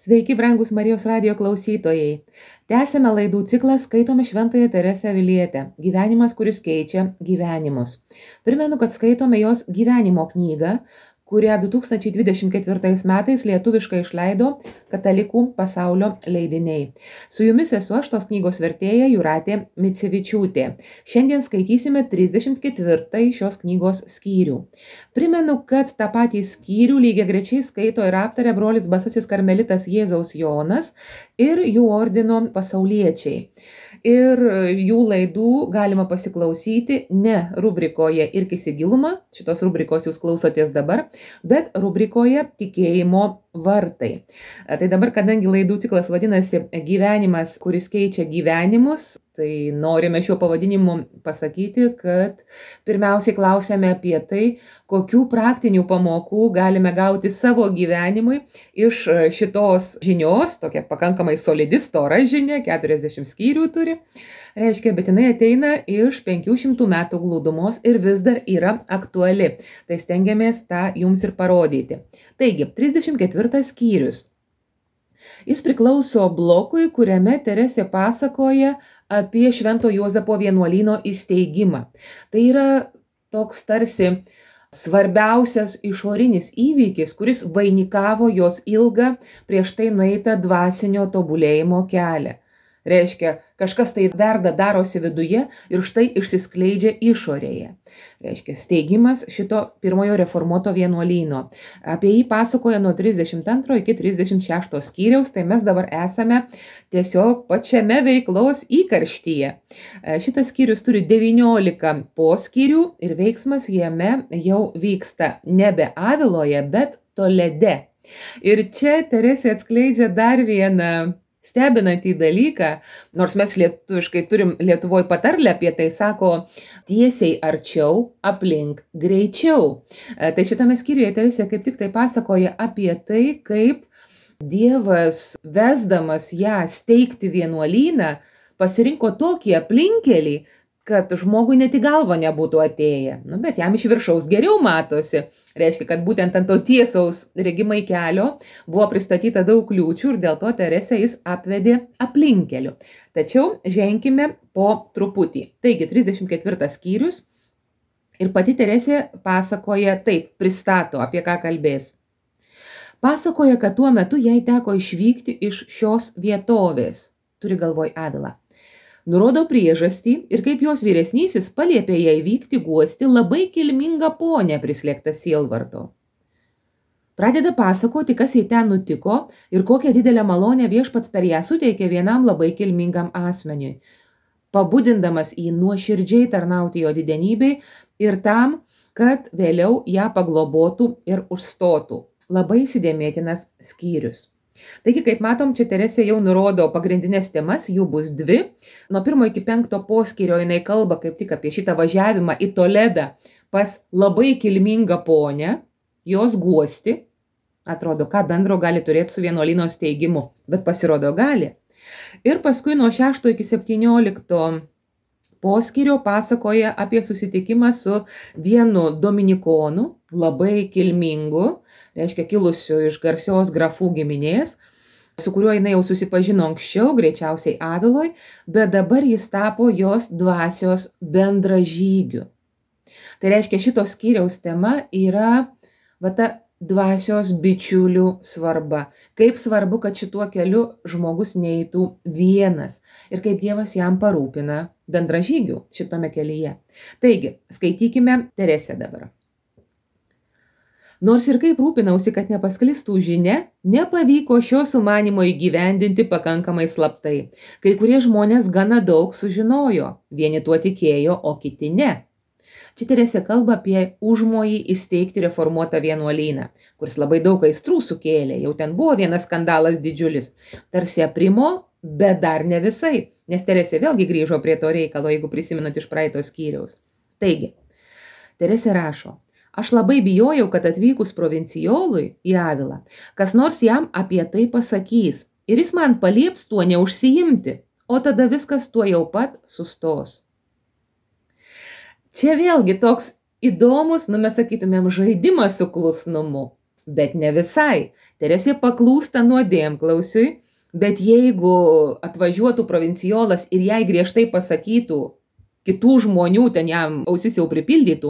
Sveiki, brangus Marijos radijo klausytojai. Tęsėme laidų ciklą Skaitome Šventąją Teresę Avilietę. Gyvenimas, kuris keičia gyvenimus. Primenu, kad skaitome jos gyvenimo knygą, kurią 2024 metais lietuviškai išleido Katalikų pasaulio leidiniai. Su jumis esu aš, tos knygos vertėja Jūratė Micevičiūtė. Šiandien skaitysime 34 šios knygos skyrių. Primenu, kad tą patį skyrių lygiagrečiai skaito ir aptaria brolis Basasis karmelitas Jėzaus Jonas ir jų ordino pasauliečiai. Ir jų laidų galima pasiklausyti ne rubrikoje Irkis į gilumą, šitos rubrikos jūs klausotės dabar, bet rubrikoje Tikėjimo vartai. Tai dabar, kadangi laidų ciklas vadinasi Gyvenimas, kuris keičia gyvenimus, tai norime šiuo pavadinimu pasakyti, kad pirmiausiai klausėme apie tai, kokių praktinių pamokų galime gauti savo gyvenimui iš šitos žinios, tokia pakankamai solidi, stora žinia, 40 skyrių turi. Reiškia, bet jinai ateina iš 500 metų glūdumos ir vis dar yra aktuali. Tai stengiamės tą jums ir parodyti. Taigi, 34 skyrius. Jis priklauso blokui, kuriame Teresė pasakoja apie Švento Juozapo vienuolyno įsteigimą. Tai yra toks tarsi svarbiausias išorinis įvykis, kuris vainikavo jos ilgą prieš tai nueitą dvasinio tobulėjimo kelią. Reiškia, kažkas tai verda darosi viduje ir štai išsiskleidžia išorėje. Reiškia, steigimas šito pirmojo reformuoto vienuolyno. Apie jį pasakoja nuo 32 iki 36 skyriaus, tai mes dabar esame tiesiog pačiame veiklos įkarštyje. Šitas skyrius turi 19 poskyrių ir veiksmas jame jau vyksta nebe Aviloje, bet Tolede. Ir čia Teresė atskleidžia dar vieną stebinantį dalyką, nors mes lietuviškai turim Lietuvoj patarlę apie tai, sako tiesiai arčiau, aplink greičiau. Tai šitame skyriuje Teresė kaip tik tai pasakoja apie tai, kaip Dievas, vesdamas ją steigti vienuolyną, pasirinko tokį aplinkelį, kad žmogui net į galvą nebūtų atėję. Bet jam iš viršaus geriau matosi. Reiškia, kad būtent ant to tiesaus regimai kelio buvo pristatyta daug kliūčių ir dėl to Teresę jis apvedė aplinkeliu. Tačiau ženkime po truputį. Taigi, 34 skyrius ir pati Teresė pasakoja taip, pristato, apie ką kalbės. Pasakoja, kad tuo metu jai teko išvykti iš šios vietovės, turi galvoj Avilą. Nurodo priežastį ir kaip jos vyresnysis paliepė jai vykti guosti labai kilmingą ponę prislėgtą sielvarto. Pradeda pasakoti, kas jai ten nutiko ir kokią didelę malonę Viešpats per ją suteikė vienam labai kilmingam asmeniui, pabudindamas jį nuoširdžiai tarnauti jo didenybei ir tam, kad vėliau ją paglobotų ir užstotų. Labai įsidėmėtinas skyrius. Taigi, kaip matom, čia Teresė jau nurodo pagrindinės temas, jų bus 2. Nuo 1 iki 5 poskyrio jinai kalba kaip tik apie šitą važiavimą į Toledą pas labai kilmingą ponę, jos guosti. Atrodo, ką bendro gali turėti su vienuolyno steigimu, bet pasirodo gali. Ir paskui nuo 6 iki 17 poskyrio pasakoja apie susitikimą su vienu dominikonu, labai kilmingu, reiškia kilusiu iš garsios grafų giminės, su kuriuo jinai jau susipažino anksčiau, greičiausiai Aviloj, bet dabar jis tapo jos dvasios bendražygiu. Tai reiškia, šitos skyriaus tema yra ta dvasios bičiulių svarba. Kaip svarbu, kad šituo keliu žmogus neeitų vienas ir kaip Dievas jam parūpina bendražygių šitame kelyje. Taigi, skaitykime Teresę dabar. Nors ir kaip rūpinausi, kad nepasklistų žinia, nepavyko šio sumanimo įgyvendinti pakankamai slaptai. Kai kurie žmonės gana daug sužinojo, vieni tuo tikėjo, o kiti ne. Čia Teresė kalba apie užmojį įsteigti reformuotą vienuolyną, kuris labai daug aistrų sukėlė, jau ten buvo vienas skandalas didžiulis. Tarsi aprimo, bet dar ne visai, nes Teresė vėlgi grįžo prie to reikalo, jeigu prisimenat iš praeito skyriaus. Taigi, Teresė rašo, aš labai bijojau, kad atvykus provincijolui į Avilą, kas nors jam apie tai pasakys ir jis man palieps tuo neužsiimti, o tada viskas tuo jau pat sustos. Čia vėlgi toks įdomus, mes sakytumėm, žaidimas su klusnumu. Bet ne visai. Teresė paklūsta nuodėmklausiui, bet jeigu atvažiuotų provinciolas ir jai griežtai pasakytų, kitų žmonių ten jam ausis jau pripildytų,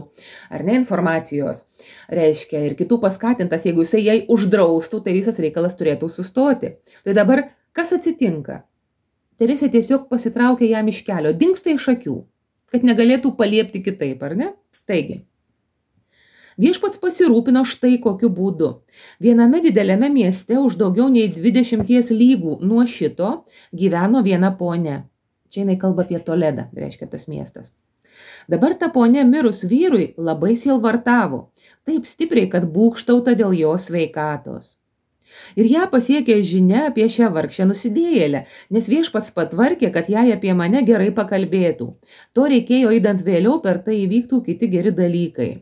ar ne informacijos, reiškia, ir kitų paskatintas, jeigu jisai jai uždraustų, tai visas reikalas turėtų sustoti. Tai dabar kas atsitinka? Teresė tiesiog pasitraukia jam iš kelio, dingsta iš akių, kad negalėtų paliepti kitaip, ar ne? Taigi, viešpats pasirūpino štai kokiu būdu. Viename dideliame mieste už daugiau nei 20 lygų nuo šito gyveno viena ponia. Čia jinai kalba apie Toledą, reiškia tas miestas. Dabar ta ponia mirus vyrui labai sielvartavo, taip stipriai, kad būgštauta dėl jos sveikatos. Ir ją pasiekė žinia apie šią vargšę nusidėjėlę, nes viešpats patvarkė, kad jai apie mane gerai pakalbėtų. To reikėjo įdant vėliau, per tai įvyktų kiti geri dalykai.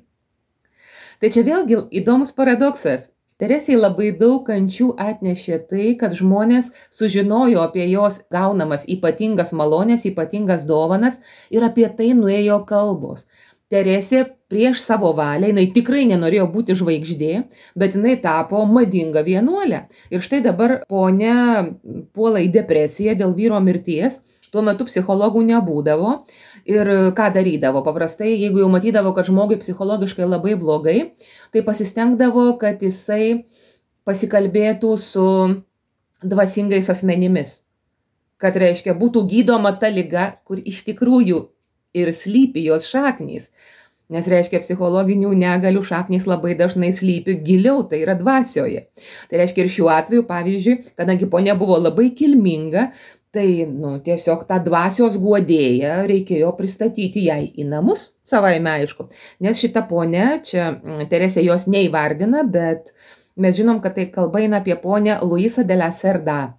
Tai čia vėlgi įdomus paradoksas. Teresei labai daug kančių atnešė tai, kad žmonės sužinojo apie jos gaunamas ypatingas malonės, ypatingas dovanas ir apie tai nuėjo kalbos. Teresė prieš savo valią, jinai tikrai nenorėjo būti žvaigždė, bet jinai tapo madinga vienuolė. Ir štai dabar ponia puola į depresiją dėl vyro mirties. Tuo metu psichologų nebūdavo ir ką darydavo? Paprastai, jeigu jau matydavo, kad žmogui psichologiškai labai blogai, tai pasistengdavo, kad jisai pasikalbėtų su dvasingais asmenimis. Kad reiškia, būtų gydoma ta liga, kur iš tikrųjų ir slypi jos šaknys. Nes reiškia, psichologinių negalių šaknys labai dažnai slypi giliau, tai yra dvasioje. Tai reiškia ir šiuo atveju, pavyzdžiui, kadangi ponia buvo labai kilminga, tai tiesiog tą dvasios guodėją reikėjo pristatyti jai į namus, savaime aišku. Nes šita ponia, čia Teresė jos neįvardina, bet mes žinom, kad tai kalba eina apie ponią Luisą de la Cerda,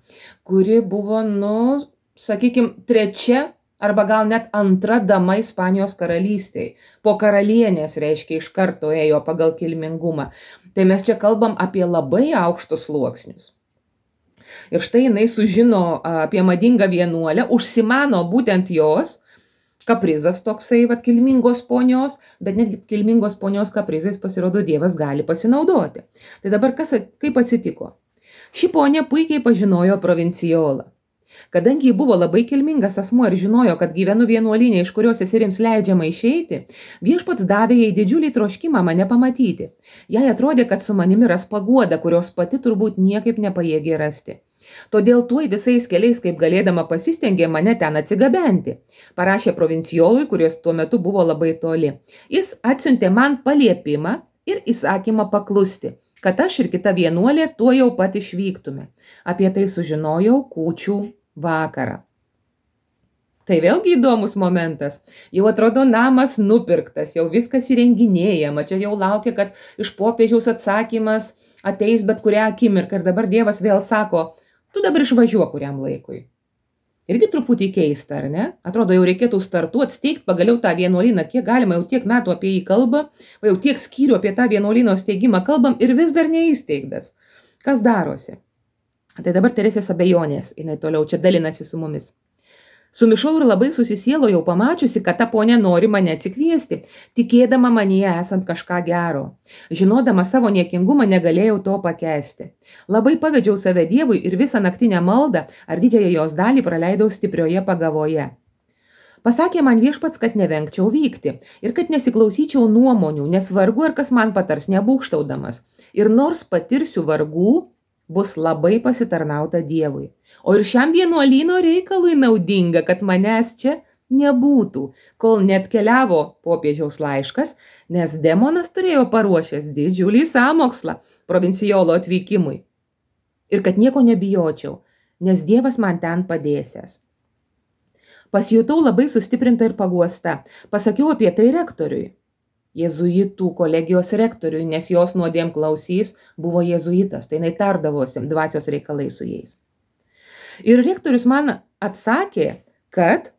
kuri buvo, sakykime, trečia arba gal net antra dama Ispanijos karalystėje. Po karalienės, reiškia, iš karto ėjo pagal kilmingumą. Tai mes čia kalbam apie labai aukštus sluoksnius. Ir štai jinai sužino apie madingą vienuolę, užsimano būtent jos, kaprizas toksai, kilmingos ponios, bet netgi kilmingos ponios kaprizais pasirodo Dievas gali pasinaudoti. Tai dabar kaip atsitiko? Ši ponia puikiai pažinojo provinciolą. Kadangi ji buvo labai kilmingas asmuo ir žinojo, kad gyvenu vienuolinė, iš kurios seserims leidžiama išeiti, viešpats davė jai didžiulį troškimą mane pamatyti. Jai atrodė, kad su manimi ras paguodą, kurios pati turbūt niekaip nepajėgė rasti. Todėl tuoj visais keliais, kaip galėdama, pasistengė mane ten atsigabenti. Parašė provinciolui, kuris tuo metu buvo labai toli. Jis atsiuntė man paliepimą ir įsakymą paklusti, kad aš ir kita vienuolė tuo jau pat išvyktume. Apie tai sužinojau kūčių vakarą. Tai vėlgi įdomus momentas. Jau atrodo namas nupirktas, jau viskas įrenginėjama, čia jau laukia, kad iš popiežiaus atsakymas ateis bet kurią akimirką ir dabar Dievas vėl sako, tu dabar išvažiuok kuriam laikui. Irgi truputį keista, ar ne? Atrodo, jau reikėtų startuoti, steigti pagaliau tą vienuolyną, kiek galima, jau tiek metų apie jį kalba, jau tiek skyrių apie tą vienuolyno steigimą kalbam ir vis dar neįsteigtas. Kas darosi? Tai dabar Teresės abejonės, jinai toliau čia dalinasi su mumis. Sumišau ir labai susisielojau pamačiusi, kad ta ponia nori mane atsikviesti, tikėdama manyje esant kažką gero. Žinodama savo niekingumą negalėjau to pakęsti. Labai pavedžiau save Dievui ir visą naktinę maldą ar didžiąją jos dalį praleidau stiprioje pagavoje. Pasakė man viešpats, kad nevengčiau vykti ir kad nesiklausyčiau nuomonių, nes vargu ar kas man patars nebūgštaudamas. Ir nors patirsiu vargų, bus labai pasitarnauta Dievui. O ir šiam vienuolyno reikalui naudinga, kad manęs čia nebūtų, kol net keliavo popiežiaus laiškas, nes demonas turėjo paruošęs didžiulį sąmokslą provincijolo atvykimui. Ir kad nieko nebijočiau, nes Dievas man ten padėsiąs. Pasijutau labai sustiprinta ir paguosta. Pasakiau apie tai rektoriui. Jėzuitų kolegijos rektoriui, nes jos nuodėmklausys buvo jėzuitas, tai jinai tardavosi dvasios reikalai su jais. Ir rektorius man atsakė, kad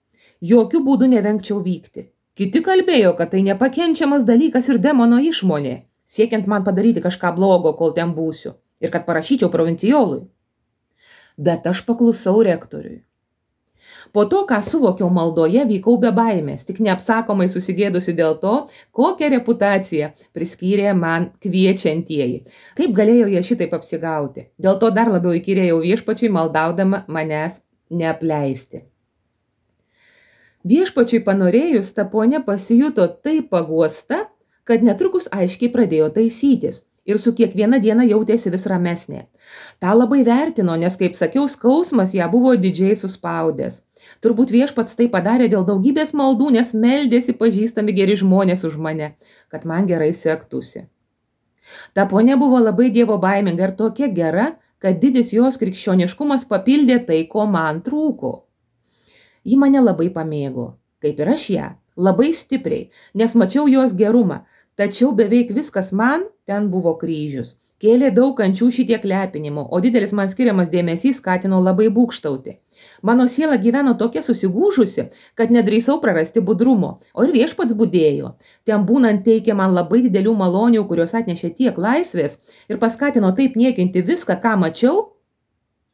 jokių būdų nevengčiau vykti. Kiti kalbėjo, kad tai nepakenčiamas dalykas ir demono išmonė, siekiant man padaryti kažką blogo, kol ten būsiu, ir kad parašyčiau provincijolui. Bet aš paklusau rektoriui. Po to, ką suvokiau maldoje, vykau be baimės, tik neapsakomai susigėdusi dėl to, kokią reputaciją priskyrė man kviečiantieji. Kaip galėjo jie šitaip apsigauti? Dėl to dar labiau įkyrėjau viešpačiui, maldaudama manęs neapleisti. Viešpačiui panorėjus, ta ponia pasijuto taip paguosta, kad netrukus aiškiai pradėjo taisytis ir su kiekviena diena jautėsi vis ramesnė. Ta labai vertino, nes, kaip sakiau, skausmas ją buvo didžiai suspaudęs. Turbūt viešpats tai padarė dėl daugybės maldų, nes meldėsi pažįstami geri žmonės už mane, kad man gerai sektųsi. Ta ponia buvo labai dievo baiminga ir tokia gera, kad didis jos krikščioniškumas papildė tai, ko man trūko. Ji mane labai pamėgo, kaip ir aš ją, labai stipriai, nes mačiau jos gerumą, tačiau beveik viskas man ten buvo kryžius. Kėlė daug kančių šitiek lepinimo, o didelis man skiriamas dėmesys skatino labai būgštauti. Mano siela gyveno tokia susigūžusi, kad nedrįsau prarasti budrumo, o ir viešpats budėjo. Ten būnant teikė man labai didelių malonių, kurios atnešė tiek laisvės ir paskatino taip niekinti viską, ką mačiau,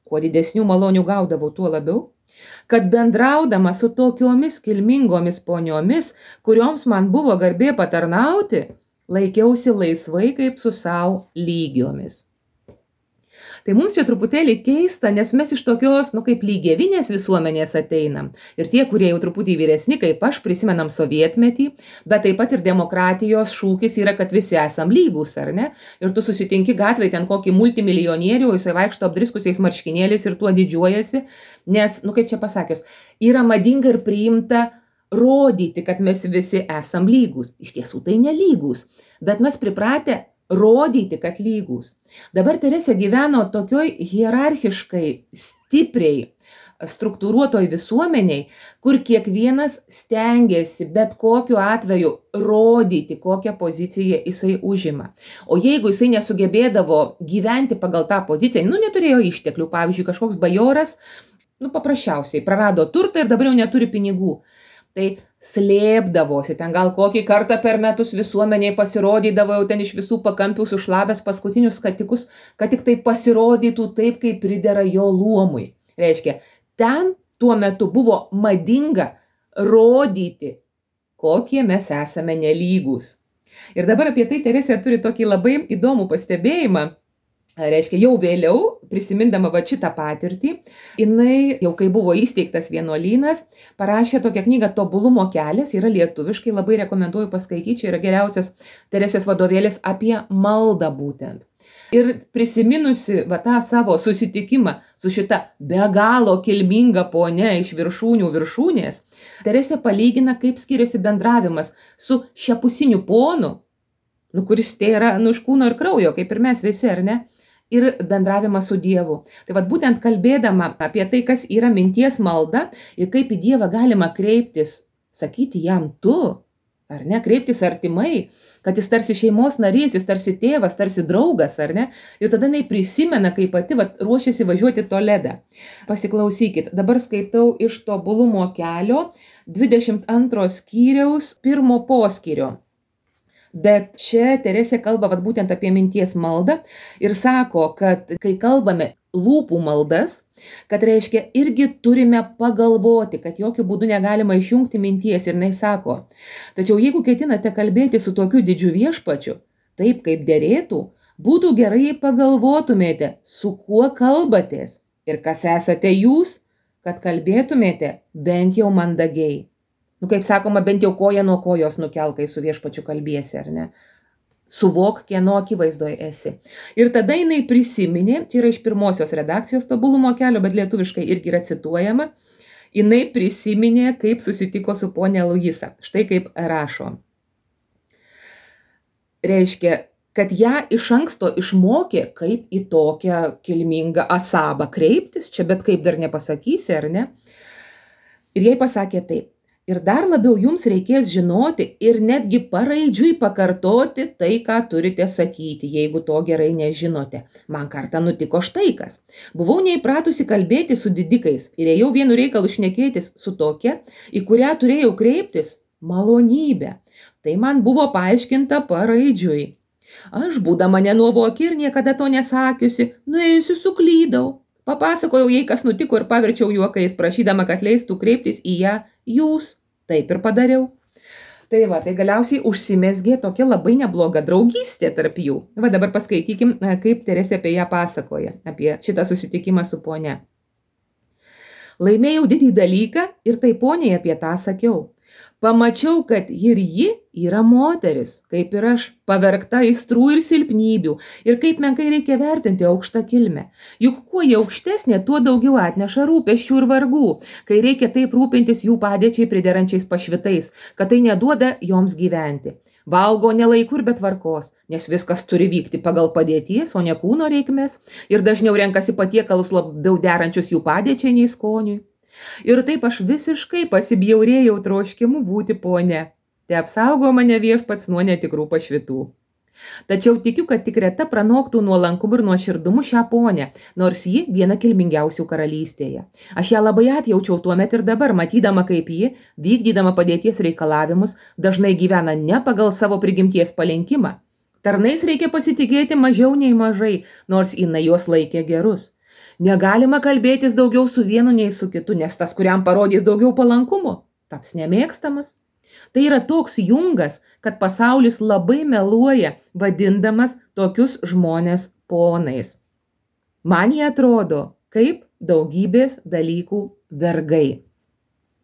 kuo didesnių malonių gaudavau, tuo labiau, kad bendraudama su tokiomis kilmingomis poniomis, kurioms man buvo garbė patarnauti, laikiausi laisvai kaip su savo lygiomis. Tai mums čia truputėlį keista, nes mes iš tokios, kaip lygievinės visuomenės ateinam. Ir tie, kurie jau truputį vyresni, kaip aš, prisimenam sovietmetį, bet taip pat ir demokratijos šūkis yra, kad visi esam lygūs, ar ne? Ir tu susitinki gatvėje ten kokį multimilijonierių, jisai vaikšto apdriskusiais marškinėliais ir tuo didžiuojasi, nes, kaip čia pasakius, yra madinga ir priimta rodyti, kad mes visi esam lygūs. Iš tiesų tai nelygūs, bet mes pripratę rodyti, kad lygūs. Dabar Teresė gyveno tokioj hierarchiškai, stipriai struktūruotoj visuomeniai, kur kiekvienas stengiasi bet kokiu atveju rodyti, kokią poziciją jisai užima. O jeigu jisai nesugebėdavo gyventi pagal tą poziciją, neturėjo išteklių, pavyzdžiui, kažkoks bajoras, paprasčiausiai prarado turtą ir dabar jau neturi pinigų. Tai slėpdavosi, ten gal kokį kartą per metus visuomeniai pasirodydavo jau ten iš visų pakampių sušlavęs paskutinius skatikus, kad tik tai pasirodytų taip, kaip pridera jo luomui. Reiškia, ten tuo metu buvo madinga rodyti, kokie mes esame nelygūs. Ir dabar apie tai Teresė turi tokį labai įdomų pastebėjimą. Reiškia, jau vėliau, prisimindama šitą patirtį, jinai, jau kai buvo įsteigtas vienuolynas, parašė tokią knygą Tobulumo kelias, yra lietuviškai, labai rekomenduoju paskaityti, čia yra geriausias Teresės vadovėlis apie maldą būtent. Ir prisiminusi tą savo susitikimą su šita be galo kilminga ponia iš viršūnių viršūnės, Teresė palygina, kaip skiriasi bendravimas su šiapusiniu ponu, kuris tai yra iš kūno ir kraujo, kaip ir mes visi, ar ne? Ir bendravimą su Dievu. Tai būtent kalbėdama apie tai, kas yra minties malda ir kaip į Dievą galima kreiptis, sakyti jam tu, ar ne, kreiptis artimai, kad jis tarsi šeimos narys, jis tarsi tėvas, tarsi draugas, ar ne, ir tada jinai prisimena, kaip pati ruošiasi važiuoti Toledą. Pasiklausykit, dabar skaitau iš Tobulumo kelio 22 skyriaus 1 poskyrio. Bet čia Teresė kalba būtent apie minties maldą ir sako, kad kai kalbame lūpų maldas, kad reiškia irgi turime pagalvoti, kad jokių būdų negalima išjungti minties. Ir jinai sako, tačiau jeigu ketinate kalbėti su tokiu didžiu viešpačiu, taip kaip derėtų, būtų gerai pagalvotumėte, su kuo kalbatės ir kas esate jūs, kad kalbėtumėte bent jau mandagiai. Kaip sakoma, bent jau koją nuo kojos nukelk, kai su viešpačiu kalbiesi, ar ne? Suvok, kieno akivaizdoje esi. Ir tada jinai prisiminė, čia yra iš pirmosios redakcijos Tobulumo kelio, bet lietuviškai irgi yra cituojama, jinai prisiminė, kaip susitiko su ponia Luisa. Štai kaip rašo. Reiškia, kad ją iš anksto išmokė, kaip į tokią kilmingą asabą kreiptis, čia bet kaip dar nepasakysi, ar ne? Ir jai pasakė taip. Ir dar labiau jums reikės žinoti ir netgi paraidžiui pakartoti tai, ką turite sakyti, jeigu to gerai nežinote. Man kartą nutiko štai kas. Buvau neįpratusi kalbėti su didikais ir ėjau vienu reikalu šnekėtis su tokia, į kurią turėjau kreiptis malonybę. Tai man buvo paaiškinta paraidžiui. Aš, būdama nenuovoki ir niekada to nesakiusi, nuėjusi suklydau. Papasakojau jai, kas nutiko ir paverčiau juokais, prašydama, kad leistų kreiptis į ją jūs. Taip ir padariau. Tai va, tai galiausiai užsimesgė tokia labai nebloga draugystė tarp jų. Va, dabar paskaitykim, kaip Teresė apie ją pasakoja, apie šitą susitikimą su ponia. Laimėjau didį dalyką ir tai poniai apie tą sakiau. Pamačiau, kad ir ji yra moteris, kaip ir aš, pavergta aistrų ir silpnybių, ir kaip menkai reikia vertinti aukštą kilmę. Juk kuo jie aukštesnė, tuo daugiau atneša rūpesčių ir vargų, kai reikia taip rūpintis jų padėčiai priderančiais pašvitais, kad tai neduoda joms gyventi. Valgo ne laiku ir be tvarkos, nes viskas turi vykti pagal padėties, o ne kūno reikmes, ir dažniau renkasi patiekalus labiau derančius jų padėčiai nei skoniui. Ir taip aš visiškai pasibjaurėjau troškimu būti ponia. Te apsaugo mane Viešpats nuo netikrų pašvitų. Tačiau tikiu, kad tik reta pranoktų nuolankumu ir nuoširdumu šią ponę, nors ji viena kilmingiausių karalystėje. Aš ją labai atjaučiau tuomet ir dabar, matydama, kaip ji, vykdydama padėties reikalavimus, dažnai gyvena ne pagal savo prigimties palinkimą. Tarnais reikia pasitikėti mažiau nei mažai, nors jinai juos laikė gerus. Negalima kalbėtis daugiau su vienu nei su kitu, nes tas, kuriam parodys daugiau palankumo, taps nemėgstamas. Tai yra toks jungas, kad pasaulis labai meluoja, vadindamas tokius žmonės ponais. Man jie atrodo kaip daugybės dalykų vergai.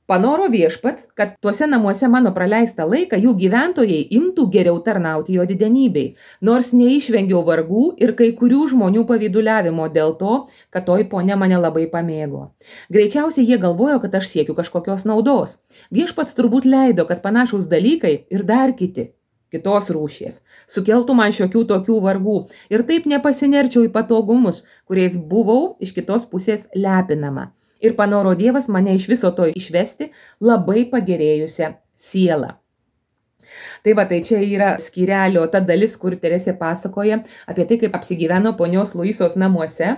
Panoro Viešpats, kad tuose namuose mano praleistą laiką jų gyventojai imtų geriau tarnauti jo didenybei, nors neišvengiau vargų ir kai kurių žmonių pavyduliavimo dėl to, kad toji ponia mane labai pamėgo. Greičiausiai jie galvojo, kad aš siekiu kažkokios naudos. Viešpats turbūt leido, kad panašūs dalykai ir dar kitos rūšies, sukeltų man šiokių tokių vargų ir taip nepasinerčiau į patogumus, kuriais buvau iš kitos pusės lepinama. Ir panoro Dievas mane iš viso to išvesti labai pagerėjusią sielą. Tai va, tai čia yra skyrelio ta dalis, kur Teresė pasakoja apie tai, kaip apsigyveno ponios Luisos namuose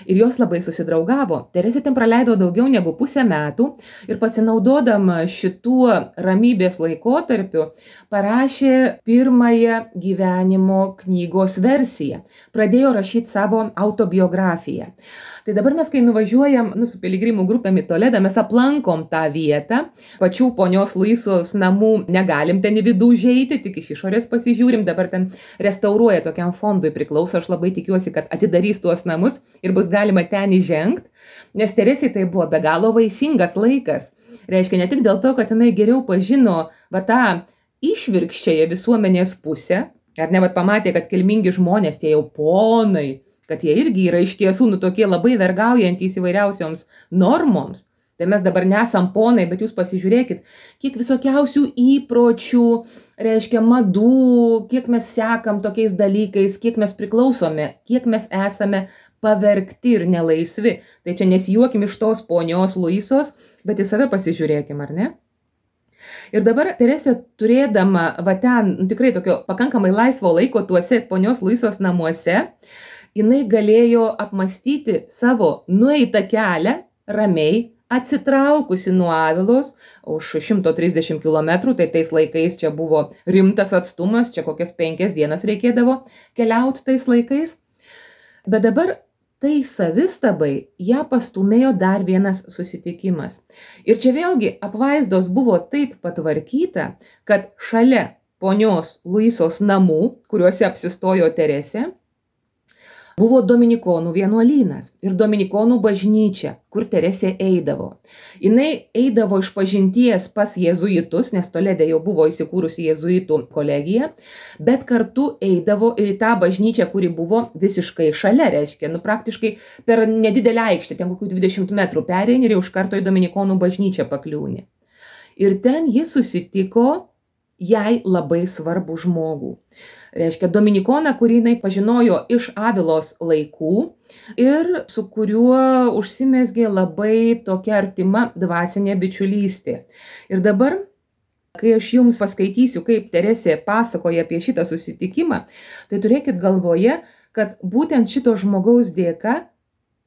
ir jos labai susidraugavo. Teresė ten praleido daugiau negu pusę metų ir pasinaudodama šituo ramybės laikotarpiu parašė pirmąją gyvenimo knygos versiją. Pradėjo rašyti savo autobiografiją. Tai dabar mes, kai nuvažiuojam su piligrimų grupėm į Toledą, mes aplankom tą vietą. Pačių ponios Luisos namų negalim ten į vidų užeiti, tik iš išorės pasižiūrim. Dabar ten restauruoja, tokiam fondui priklauso. Aš labai tikiuosi, kad atidarys tuos namus ir bus galima ten įžengti. Nes Teresei tai buvo be galo vaisingas laikas. Reiškia, ne tik dėl to, kad jinai geriau pažino tą išvirkščiąją visuomenės pusę, ar ne, pamatė, kad kilmingi žmonės, tie jau ponai, kad jie irgi yra iš tiesų tokie labai vergaujantys įvairiausioms normoms. Tai mes dabar nesam ponai, bet jūs pasižiūrėkit, kiek visokiausių įpročių, reiškia madų, kiek mes sekam tokiais dalykais, kiek mes priklausome, kiek mes esame pavergti ir nelaisvi. Tai čia nesijuokim iš tos ponios Luisos, bet į save pasižiūrėkim, ar ne? Ir dabar Teresė, turėdama ten tikrai tokio pakankamai laisvo laiko tuose ponios Luisos namuose, jinai galėjo apmastyti savo nueitą kelią ramiai, atsitraukusi nuo Avilos už 130 km, tai tais laikais čia buvo rimtas atstumas, čia kokias 5 dienas reikėdavo keliauti tais laikais. Bet dabar tai savistabai ją pastumėjo dar vienas susitikimas. Ir čia vėlgi apvaizdos buvo taip patvarkyta, kad šalia ponios Luisos namų, kuriuose apsistojo Teresė, buvo dominikonų vienuolynas ir dominikonų bažnyčia, kur Teresė eidavo. Jinai eidavo iš pažinties pas jėzuitus, nes Tolede jau buvo įsikūrusi jėzuitų kolegija, bet kartu eidavo ir į tą bažnyčią, kuri buvo visiškai šalia, reiškia, praktiškai per nedidelę aikštę, ten kokių 20 metrų pereini ir jau iš karto į dominikonų bažnyčią pakliūni. Ir ten jis susitiko jai labai svarbų žmogų. Reiškia, dominikoną, kurį jinai pažinojo iš Avilos laikų ir su kuriuo užsimezgė labai tokia artima dvasinė bičiulystė. Ir dabar, kai aš jums paskaitysiu, kaip Teresė pasakoja apie šitą susitikimą, tai turėkit galvoje, kad būtent šito žmogaus dėka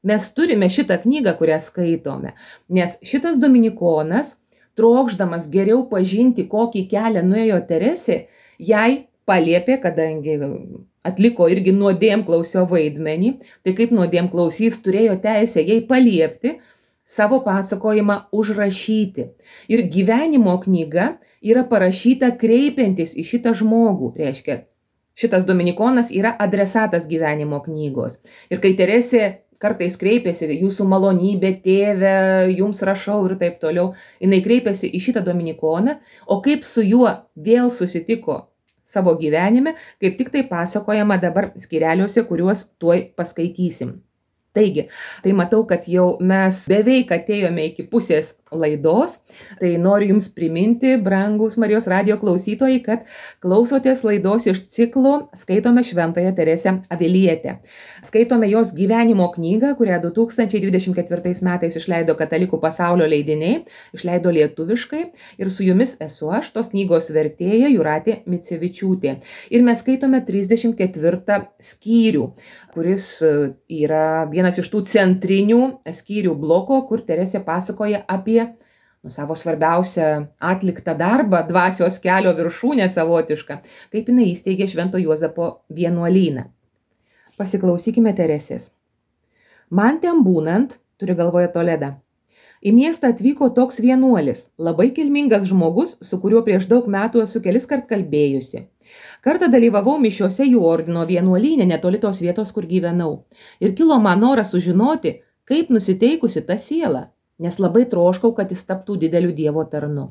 mes turime šitą knygą, kurią skaitome. Nes šitas dominikonas, trokšdamas geriau pažinti, kokį kelią nuėjo Teresė, jai paliepė, kadangi atliko irgi nuodėmklausio vaidmenį, tai kaip nuodėmklausys turėjo teisę jai paliepti savo pasakojimą užrašyti. Ir gyvenimo knyga yra parašyta kreipiantis į šitą žmogų, reiškia, šitas dominikonas yra adresatas gyvenimo knygos. Ir kai Teresė kartais kreipiasi, jūsų malonybė, tėve, jums rašau ir taip toliau, jinai kreipiasi į šitą dominikoną, o kaip su juo vėl susitiko savo gyvenime, kaip tik tai pasakojama dabar skyreliuose, kuriuos tuoj paskaitysim. Taigi, tai matau, kad jau mes beveik atėjome iki pusės laidos, tai noriu Jums priminti, brangus Marijos radijo klausytojai, kad klausotės laidos iš ciklo Skaitome Šventąją Teresę Avilietę. Skaitome jos gyvenimo knygą, kurią 2024 metais išleido Katalikų pasaulio leidiniai, išleido lietuviškai ir su Jumis esu aš, tos knygos vertėja Jūratė Micevičiūtė. Ir mes skaitome 34 skyrių, kuris yra vienas iš tų centrinių skyrių bloko, kur Teresė pasakoja apie savo svarbiausią atliktą darbą, dvasios kelio viršūnę savotišką, kaip jinai įsteigė Švento Juozapo vienuolyną. Pasiklausykime Teresės. Man ten būnant, turi galvoje Toledą, į miestą atvyko toks vienuolis, labai kilmingas žmogus, su kuriuo prieš daug metų esu keliskart kalbėjusi. Kartą dalyvavau mišiuose jų ordino vienuolyne netoli tos vietos, kur gyvenau. Ir kilo man noras sužinoti, kaip nusiteikusi ta siela, nes labai troškau, kad jis taptų dideliu Dievo tarnu.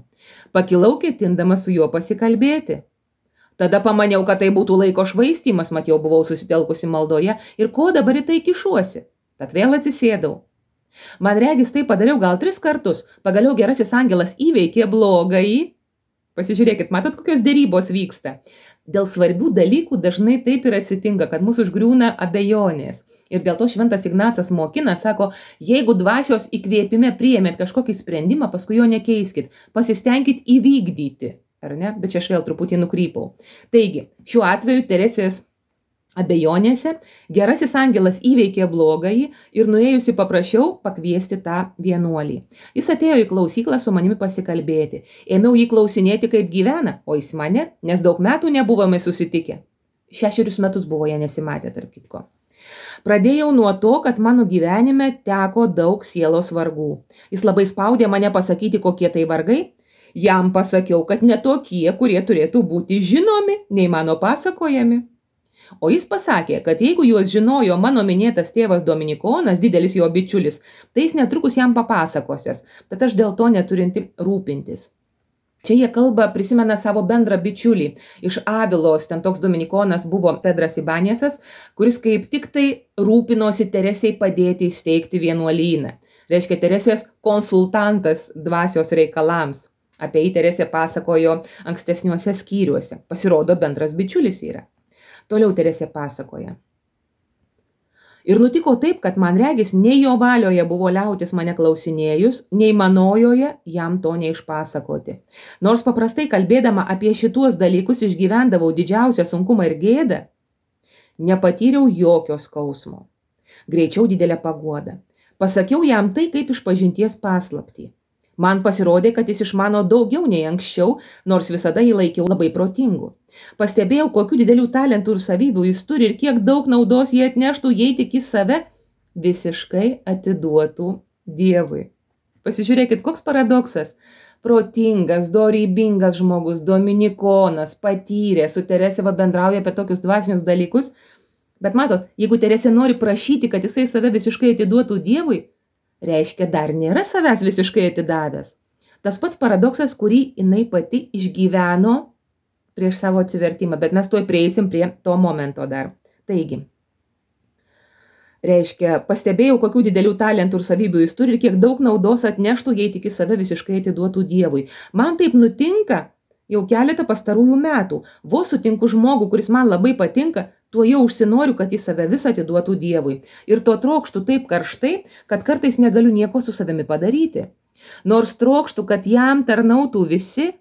Pakilau ketindama su juo pasikalbėti. Tada pamaniau, kad tai būtų laiko švaistymas, mat jau buvau susitelkusi maldoje ir ko dabar į tai kišuosi. Tad vėl atsisėdau. Man regis tai padariau gal 3 kartus, pagaliau gerasis angelas įveikė blogąjį. Pasižiūrėkit, matot, kokios dėrybos vyksta. Dėl svarbių dalykų dažnai taip ir atsitinka, kad mūsų užgriūna abejonės. Ir dėl to šventas Ignacas mokina, sako, jeigu dvasios įkvėpime priėmėt kažkokį sprendimą, paskui jo nekeiskit, pasistengkit įvykdyti, ar ne? Bet čia aš vėl truputį nukrypau. Taigi, šiuo atveju Teresės abejonėse gerasis angelas įveikė blogąjį ir nuėjusi paprašiau pakviesti tą vienuolį. Jis atėjo į klausyklą su manimi pasikalbėti. Ėmiau jį klausinėti, kaip gyvena, o jis mane, nes daug metų nebuvome susitikę. 6 metus buvo jie nesimatę, tarp kitko. Pradėjau nuo to, kad mano gyvenime teko daug sielos vargų. Jis labai spaudė mane pasakyti, kokie tai vargai. Jam pasakiau, kad ne tokie, kurie turėtų būti žinomi, nei mano pasakojami. O jis pasakė, kad jeigu juos žinojo mano minėtas tėvas Dominikonas, didelis jo bičiulis, tai jis netrukus jam papasakosias, tad aš dėl to neturinti rūpintis. Čia jie kalba, prisimena savo bendrą bičiulį. Iš Avilos, ten toks dominikonas buvo Pedras Ibanėsas, kuris kaip tik tai rūpinosi Teresei padėti įsteigti vienuolyną. Reiškia, Teresės konsultantas dvasios reikalams. Apie jį Teresė pasakojo ankstesniuose skyriuose. Pasirodo, bendras bičiulis yra. Toliau Teresė pasakoja. Ir nutiko taip, kad man regis, nei jo valioje buvo liautis mane klausinėjus, nei manojoje jam to neišpasakoti. Nors paprastai kalbėdama apie šituos dalykus išgyvendavau didžiausią sunkumą ir gėdą, nepatyriau jokio skausmo. Greičiau didelę paguodą. Pasakiau jam tai kaip išpažinties paslaptį. Man pasirodė, kad jis išmano daugiau nei anksčiau, nors visada jį laikiau labai protingu. Pastebėjau, kokių didelių talentų ir savybių jis turi ir kiek daug naudos jie atneštų, jei tik į save visiškai atiduotų Dievui. Pasižiūrėkit, koks paradoksas. Protingas, dorybingas žmogus, dominikonas, patyrė, su Teresė bendrauja apie tokius dvasinius dalykus. Bet matot, jeigu Teresė nori prašyti, kad jisai save visiškai atiduotų Dievui, reiškia, dar nėra savęs visiškai atidavęs. Tas pats paradoksas, kurį jinai pati išgyveno prieš savo atsivertimą, bet mes tuoj prieisim prie to momento dar. Taigi, reiškia, pastebėjau, kokių didelių talentų ir savybių jis turi ir kiek daug naudos atneštų, jei tik į save visiškai atiduotų Dievui. Man taip nutinka jau keletą pastarųjų metų. Vos sutinku žmogų, kuris man labai patinka, tuo jau užsinoriu, kad į save visą atiduotų Dievui. Ir to trokštų taip karštai, kad kartais negaliu nieko su savimi padaryti. Nors trokštų, kad jam tarnautų visi,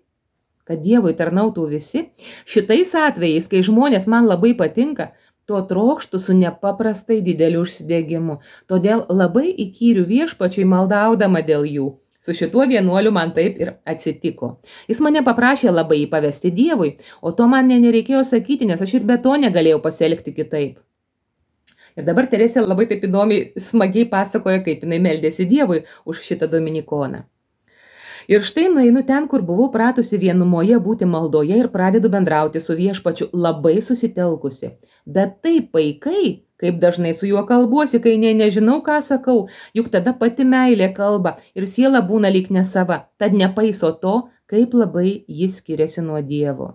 kad Dievui tarnautų visi, šitais atvejais, kai žmonės man labai patinka, to trokštų su nepaprastai dideliu užsidegimu. Todėl labai įkyriu viešpačiui maldaudama dėl jų. Su šituo vienuoliu man taip ir atsitiko. Jis mane paprašė labai jį pavesti Dievui, o to man nereikėjo sakyti, nes aš ir be to negalėjau pasielgti kitaip. Ir dabar Teresė labai taip įdomiai, smagiai pasakoja, kaip jinai meldėsi Dievui už šitą dominikoną. Ir štai nueinu ten, kur buvau pratusi vienumoje būti maldoje ir pradedu bendrauti su viešpačiu labai susitelkusi. Bet taip paikai, kaip dažnai su juo kalbuosi, kai nežinau, ką sakau, juk tada pati meilė kalba ir siela būna lyg nesava, tad nepaiso to, kaip labai jis skiriasi nuo Dievo.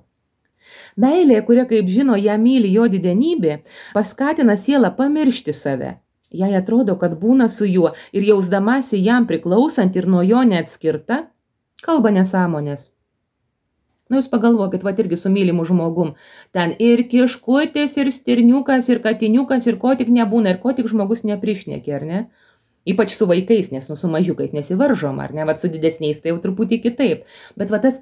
Meilė, kuria, kaip žino, ją myli jo didenybė, paskatina sielą pamiršti save. Jai atrodo, kad būna su juo ir jausdamasi jam priklausant ir nuo jo neatskirta, kalba nesąmonės. Jūs pagalvokit, irgi su mylimu žmogum. Ten ir kiškutės, ir stirniukas, ir katiniukas, ir ko tik nebūna, ir ko tik žmogus neprišnekė, ar ne? Ypač su vaikais, nes su mažiukais nesivaržom, ar ne? Su didesniais tai jau truputį kitaip. Bet tas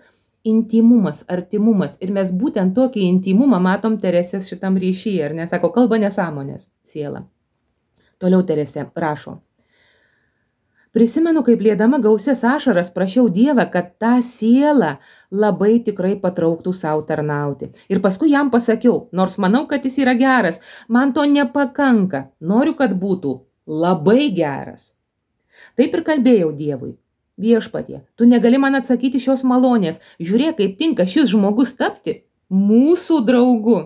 intimumas, artimumas. Ir mes būtent tokį intimumą matom Teresės šitam ryšyje, ar ne? Sako, kalba nesąmonės, siela. Toliau Teresė rašo. Prisimenu, kaip liedama gausias ašaras prašiau Dievą, kad tą sielą labai tikrai patrauktų savo tarnauti. Ir paskui jam pasakiau, nors manau, kad jis yra geras, man to nepakanka, noriu, kad būtų labai geras. Taip ir kalbėjau Dievui. Viešpatie, tu negali man atsakyti šios malonės, žiūrėk, kaip tinka šis žmogus tapti mūsų draugu.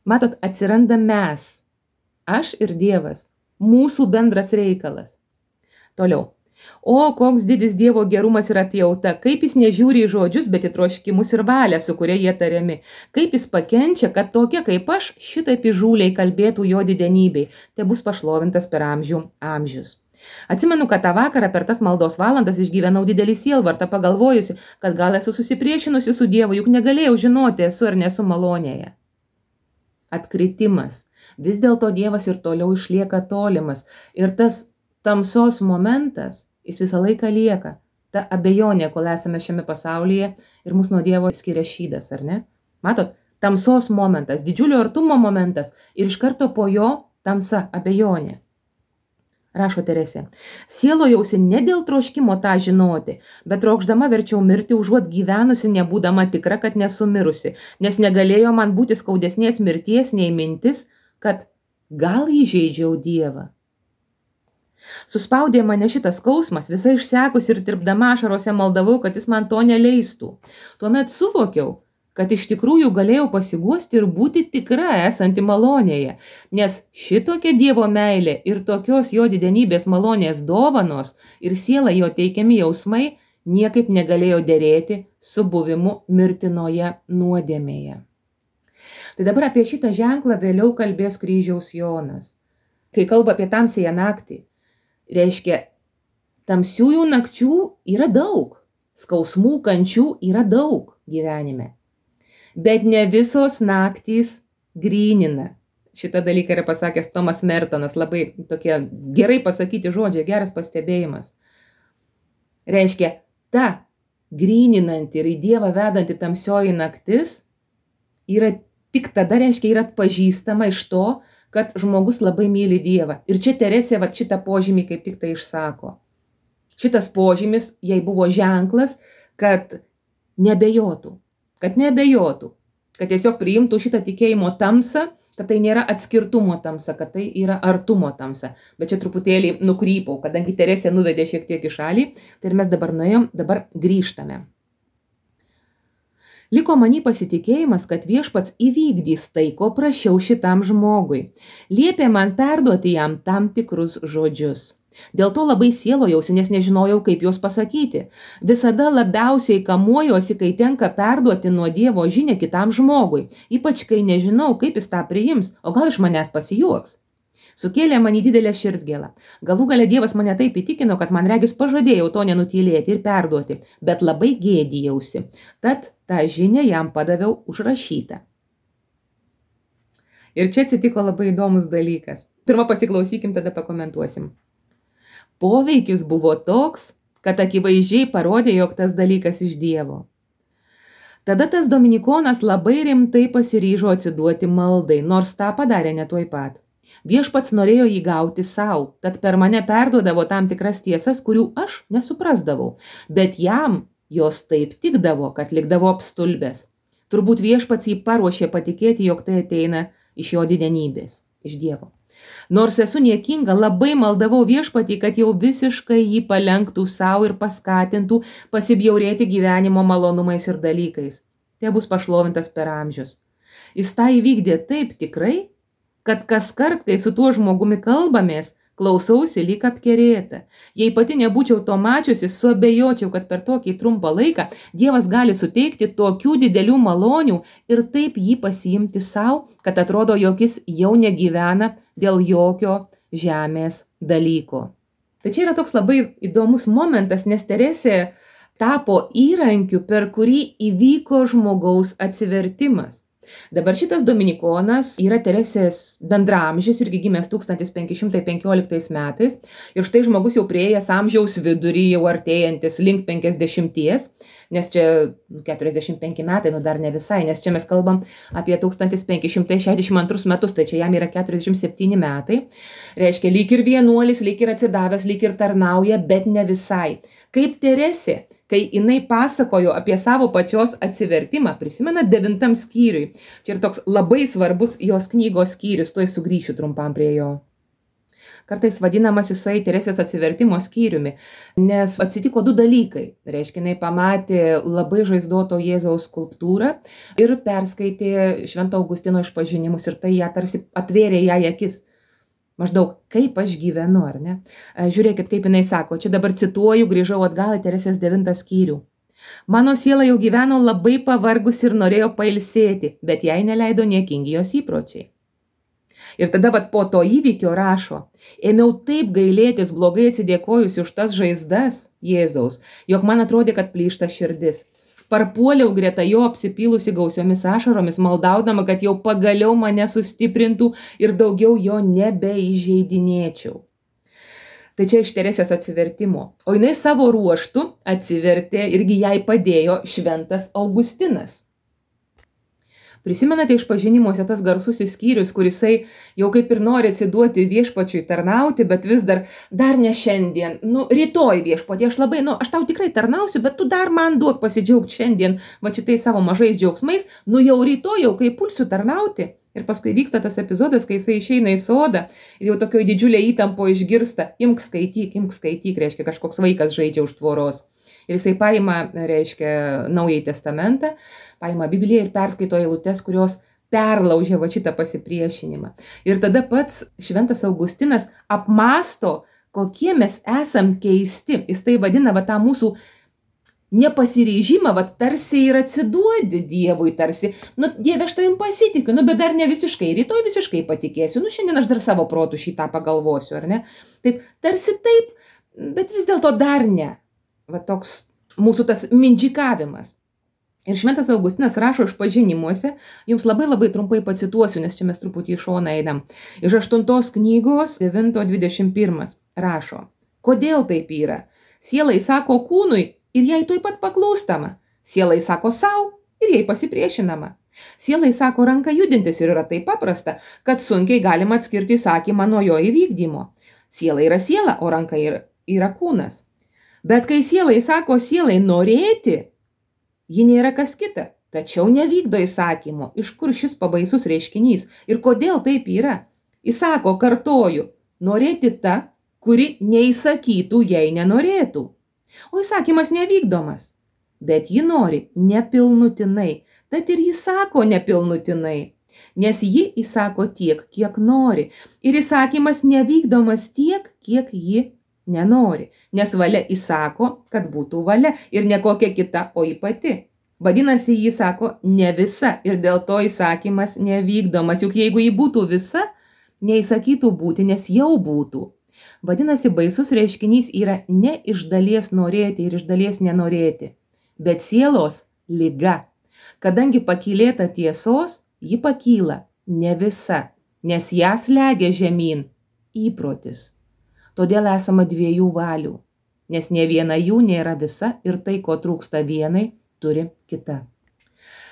Matot, atsiranda mes, aš ir Dievas, mūsų bendras reikalas. Toliau. O, koks didis Dievo gerumas ir atjauta, kaip jis nežiūri į žodžius, bet į troškimus ir valią, su kuria jie tariami. Kaip jis pakenčia, kad tokia kaip aš šitaip įžūliai kalbėtų jo didenybei, tai bus pašlovintas per amžius. Atsimenu, kad tą vakarą per tas maldos valandas išgyvenau didelį sielvartą, pagalvojusi, kad gal esu susipriešinusi su Dievu, juk negalėjau žinoti, esu ar nesu malonėje. Atkritimas. Vis dėlto Dievas ir toliau išlieka tolimas. Ir tas tamsos momentas, jis visą laiką lieka. Ta abejonė, kol esame šiame pasaulyje ir mus nuo Dievo skiria šydas, ar ne? Matot, tamsos momentas, didžiulio artumo momentas ir iš karto po jo tamsa, abejonė. Rašo Teresė, sielojausi ne dėl troškimo tą žinoti, bet trokšdama verčiau mirti, užuot gyvenusi, nebūdama tikra, kad nesu mirusi, nes negalėjo man būti skaudesnės mirties nei mintis, kad gal įžeidžiau Dievą. Suspaudė mane šitas skausmas, visai išsekus ir tirpdama ašarose maldavau, kad jis man to neleistų. Tuomet suvokiau, kad iš tikrųjų galėjau pasiguosti ir būti tikra esanti malonėje, nes šitokia Dievo meilė ir tokios jo didenybės malonės dovanos ir siela jo teikiami jausmai niekaip negalėjo derėti su buvimu mirtinoje nuodėmėje. Tai dabar apie šitą ženklą vėliau kalbės Kryžiaus Jonas. Kai kalba apie tamsiąją naktį, reiškia, tamsiųjų nakčių yra daug, skausmų, kančių yra daug gyvenime. Bet ne visos naktys grynina. Šitą dalyką yra pasakęs Tomas Mertonas, labai tokie gerai pasakyti žodžiai, geras pastebėjimas. Reiškia, ta gryninanti ir į Dievą vedanti tamsioji naktis yra tik tada, reiškia, yra atpažįstama iš to, kad žmogus labai myli Dievą. Ir čia Teresė šitą požymį kaip tik tai išsako. Šitas požymis jai buvo ženklas, kad nebejotų, kad tiesiog priimtų šitą tikėjimo tamsą, kad tai nėra atskirtumo tamsa, kad tai yra artumo tamsa. Bet čia truputėlį nukrypau, kadangi Teresė nuvedė šiek tiek į šalį, tai ir mes dabar nuėjom, dabar grįžtame. Liko manį pasitikėjimas, kad viešpats įvykdys tai, ko prašiau šitam žmogui. Liepė man perduoti jam tam tikrus žodžius. Dėl to labai sielojausi, nes nežinojau, kaip juos pasakyti. Visada labiausiai kamuojuosi, kai tenka perduoti nuo Dievo žinią kitam žmogui, ypač kai nežinau, kaip jis tą priims, o gal iš manęs pasijuoks. Sukėlė man į didelę širdgėlą. Galų gale Dievas mane taip įtikino, kad man regis pažadėjau to nenutylėti ir perduoti, bet labai gėdijausi. Tad tą žinią jam padaviau užrašytą. Ir čia atsitiko labai įdomus dalykas. Pirmą pasiklausykim, tada pakomentuosim. Poveikis buvo toks, kad akivaizdžiai parodė, jog tas dalykas iš Dievo. Tada tas dominikonas labai rimtai pasiryžo atsiduoti maldai, nors tą padarė ne tuoj pat. Viešpats norėjo jį gauti savo, tad per mane perduodavo tam tikras tiesas, kurių aš nesuprasdavau, bet jam jos taip tikdavo, kad likdavo apstulbęs. Turbūt viešpats jį paruošė patikėti, jog tai ateina iš jo didenybės, iš Dievo. Nors esu niekinga, labai maldavau viešpatį, kad jau visiškai jį palenktų savo ir paskatintų pasibjaurėti gyvenimo malonumais ir dalykais. Te bus pašlovintas per amžius. Jis tą įvykdė taip tikrai, kad kas kart, kai su tuo žmogumi kalbamės, klausausi lyg apkerėta. Jei pati nebūčiau to mačiusi, suabejočiau, kad per tokį trumpą laiką Dievas gali suteikti tokių didelių malonių ir taip jį pasiimti savo, kad atrodo, jog jis jau negyvena dėl jokio žemės dalyko. Tai čia yra toks labai įdomus momentas, nes Teresė tapo įrankiu, per kurį įvyko žmogaus atsivertimas. Dabar šitas dominikonas yra Teresės bendraamžis, irgi gimęs 1515 metais. Ir štai žmogus jau prieėjęs amžiaus vidurį, jau artėjantis link 50, nes čia 45 metai, dar ne visai, nes čia mes kalbam apie 1562 metus, tai čia jam yra 47 metai. Reiškia, lyg ir vienuolis, lyg ir atsidavęs, lyg ir tarnauja, bet ne visai. Kaip Teresė, kai jinai pasakojo apie savo pačios atsivertimą, prisimena 9 skyriui. Čia yra toks labai svarbus jos knygos skyrius, tuoj sugrįšiu trumpam prie jo. Kartais vadinamas jisai Teresės atsivertimo skyriumi, nes atsitiko 2 dalykai. Reiškia, jinai pamatė labai žaizdoto Jėzaus skulptūrą ir perskaitė Švento Augustino išpažinimus ir tai ją tarsi atvėrė jai akis. Maždaug, kaip aš gyvenu, ar ne? Žiūrėkit, kaip jinai sako, čia dabar cituoju, grįžau atgal į Teresės 9 skyrių. Mano siela jau gyveno labai pavargus ir norėjo pailsėti, bet jai neleido niekingi jos įpročiai. Ir tada po to įvykio rašo, ėmiau taip gailėtis blogai atsidėkojusi už tas žaizdas Jėzaus, jog man atrodė, kad plyšta širdis. Parpuoliau greta jo apsipylusi gausiomis ašaromis, maldaudama, kad jau pagaliau mane sustiprintų ir daugiau jo nebeįžeidinėčiau. Tai čia iš Teresės atsivertimo. O jinai savo ruoštų atsivertė, irgi jai padėjo Šventas Augustinas. Prisimenate išpažinimuose tas garsusis skyrius, kurisai jau kaip ir nori atsiduoti viešpačiui tarnauti, bet vis dar ne šiandien, rytoj viešpatį, aš tau tikrai tarnausiu, bet tu dar man duok pasidžiaugti šiandien, va šitai savo mažais džiaugsmais, jau rytoj, jau kai pulsiu tarnauti. Ir paskui vyksta tas epizodas, kai jisai išeina į sodą ir jau tokioj didžiulė įtampo išgirsta, imk skaityk, reiškia, kažkoks vaikas žaidžia už tvoros. Ir jisai paima, reiškia, Naująjį testamentą, paima Bibliją ir perskaito eilutes, kurios perlaužia va šitą pasipriešinimą. Ir tada pats Šventas Augustinas apmąsto, kokie mes esam keisti. Jis tai vadina va tą mūsų nepasiryžimą, va tarsi ir atsiduodi Dievui, tarsi, Dieve, aš tavim pasitikiu, bet dar ne visiškai, rytoj visiškai patikėsiu, šiandien aš dar savo protų šitą pagalvosiu, ar ne? Taip, tarsi taip, bet vis dėlto dar ne. Va toks mūsų tas mindžikavimas. Ir Šventas Augustinas rašo išpažinimuose, jums labai trumpai pacituosiu, nes čia mes truputį į šoną einam. Iš 8 knygos 9:21 rašo, kodėl taip yra? Sielai sako kūnui ir jai tuoj pat paklūstama. Sielai sako savo ir jai pasipriešinama. Sielai sako ranka judintis ir yra taip paprasta, kad sunkiai galima atskirti įsakymą nuo jo įvykdymo. Siela yra siela, o ranka yra kūnas. Bet kai sielai sako sielai norėti, ji nėra kas kita, tačiau nevykdo įsakymo. Iš kur šis pabaisus reiškinys ir kodėl taip yra? Įsako, kartoju, norėti ta, kuri neįsakytų, jei nenorėtų. O įsakymas nevykdomas, bet ji nori nepilnutinai, tad ir jis sako nepilnutinai, nes ji įsako tiek, kiek nori. Ir įsakymas nevykdomas tiek, kiek ji nenori, nes valia įsako, kad būtų valia ir ne kokia kita, o ji pati. Vadinasi, ji sako ne visa ir dėl to įsakymas nevykdomas, juk jeigu ji būtų visa, neįsakytų būti, nes jau būtų. Vadinasi, baisus reiškinys yra ne iš dalies norėti ir iš dalies nenorėti, bet sielos liga. Kadangi pakylėta tiesos, ji pakyla ne visa, nes ją slegia žemyn įprotis. Todėl esama 2 valių, nes ne viena jų nėra visa ir tai, ko trūksta vienai, turi kita.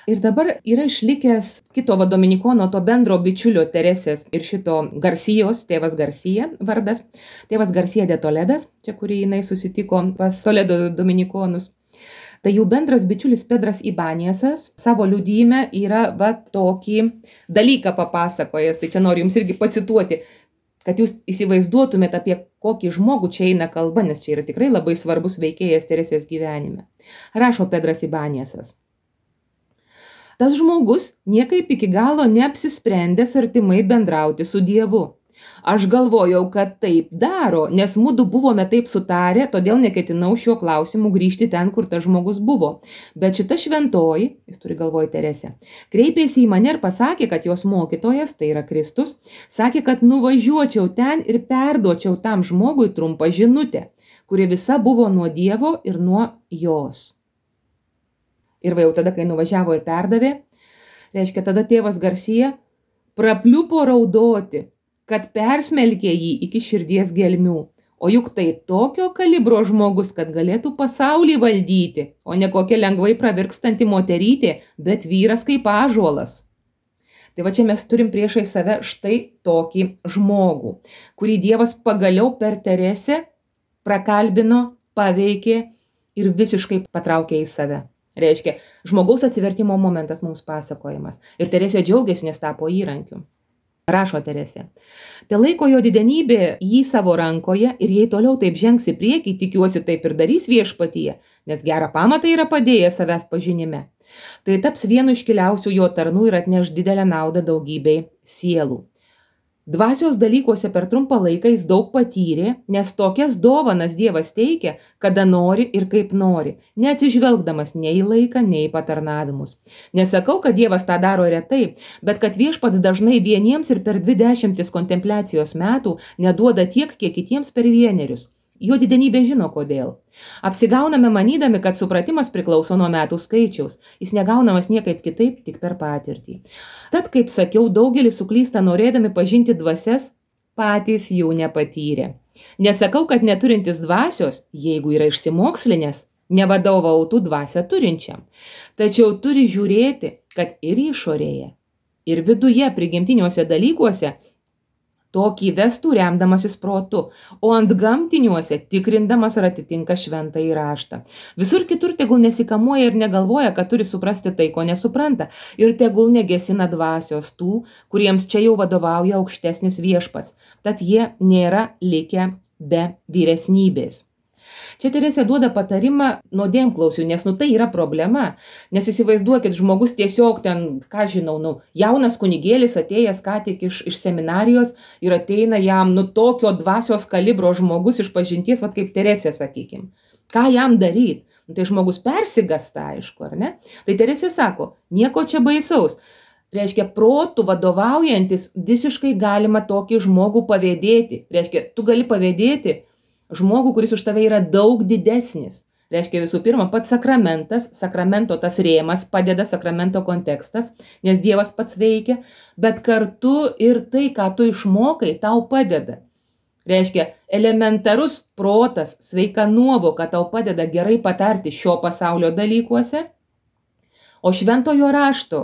Ir dabar yra išlikęs kito dominikono, to bendro bičiulio Teresės ir šito Garsijos, tėvas Garsija vardas, tėvas Garsija de Toledas, čia kurį jinai susitiko pas Toledo dominikonus. Tai jų bendras bičiulis Pedras Ibanėsas savo liudyme yra tokį dalyką papasakojęs, tai čia noriu jums irgi pacituoti, kad jūs įsivaizduotumėte, apie kokį žmogų čia eina kalba, nes čia yra tikrai labai svarbus veikėjas Teresės gyvenime. Rašo Pedras Ibanėsas. Tas žmogus niekaip iki galo neapsisprendęs artimai bendrauti su Dievu. Aš galvojau, kad taip daro, nes mudu buvome taip sutarę, todėl neketinau šiuo klausimu grįžti ten, kur tas žmogus buvo. Bet šita šventoji, jis turi galvoj Teresę, kreipėsi į mane ir pasakė, kad jos mokytojas, tai yra Kristus, sakė, kad nuvažiuočiau ten ir perduočiau tam žmogui trumpą žinutę, kuri visa buvo nuo Dievo ir nuo jos. Ir jau tada, kai nuvažiavo ir perdavė, reiškia, tada tėvas Garsija prapliupo raudoti, kad persmelkė jį iki širdies gelmių. O juk tai tokio kalibro žmogus, kad galėtų pasaulį valdyti, o ne kokia lengvai pravirkstanti moterytė, bet vyras kaip ąžuolas. Tai va čia mes turim priešai save štai tokį žmogų, kurį Dievas pagaliau per Teresę prakalbino, paveikė ir visiškai patraukė į save. Reiškia, žmogaus atsivertimo momentas mums pasakojimas. Ir Teresė džiaugiasi, nes tapo įrankiu. Rašo Teresė. Te laiko jo didenybė jį savo rankoje ir jei toliau taip žengs į priekį, tikiuosi taip ir darys viešpatyje, nes gerą pamatą yra padėjęs savęs pažinime. Tai taps vienu iškiliausių jo tarnų ir atneš didelę naudą daugybei sielų. Dvasios dalykuose per trumpą laiką jis daug patyrė, nes tokias dovanas Dievas teikia, kada nori ir kaip nori, neatsižvelgdamas nei į laiką, nei į patarnavimus. Nesakau, kad Dievas tą daro retai, bet kad viešpats dažnai vieniems ir per 20 kontempliacijos metų neduoda tiek, kiek kitiems per 1. Jo didenybė žino kodėl. Apsigauname manydami, kad supratimas priklauso nuo metų skaičiaus. Jis negaunamas niekaip kitaip, tik per patirtį. Tad, kaip sakiau, daugelis suklysta norėdami pažinti dvasias, patys jų nepatyrė. Nesakau, kad neturintis dvasios, jeigu yra išsimokslinęs, nevadovautų dvasią turinčiam. Tačiau turi žiūrėti, kad ir išorėje, ir viduje prigimtiniuose dalykuose tokį vestų remdamasis protu, o ant gamtiniuose tikrindamas ar atitinka šventąjį raštą. Visur kitur tegul nesikamuoja ir negalvoja, kad turi suprasti tai, ko nesupranta, ir tegul negesina dvasios tų, kuriems čia jau vadovauja aukštesnis viešpats, tad jie nėra likę be vyresnybės. Čia Teresė duoda patarimą nuodėmklausiui, nes tai yra problema, nes įsivaizduokit, žmogus tiesiog ten, ką žinau, jaunas kunigėlis atėjęs ką tik iš seminarijos ir ateina jam tokio dvasios kalibro žmogus iš pažinties, kaip Teresė, sakykim. Ką jam daryti? Tai žmogus persigasta, aišku, ar ne? Tai Teresė sako, nieko čia baisaus. Reiškia, protų vadovaujantis visiškai galima tokį žmogų pavėdėti. Reiškia, tu gali pavėdėti žmogų, kuris už tave yra daug didesnis. Reiškia, visų pirma, pats sakramentas, sakramento tas rėmas padeda, sakramento kontekstas, nes Dievas pats veikia, bet kartu ir tai, ką tu išmokai, tau padeda. Reiškia, elementarus protas, sveika nuovoka tau padeda gerai patarti šio pasaulio dalykuose, o šventojo rašto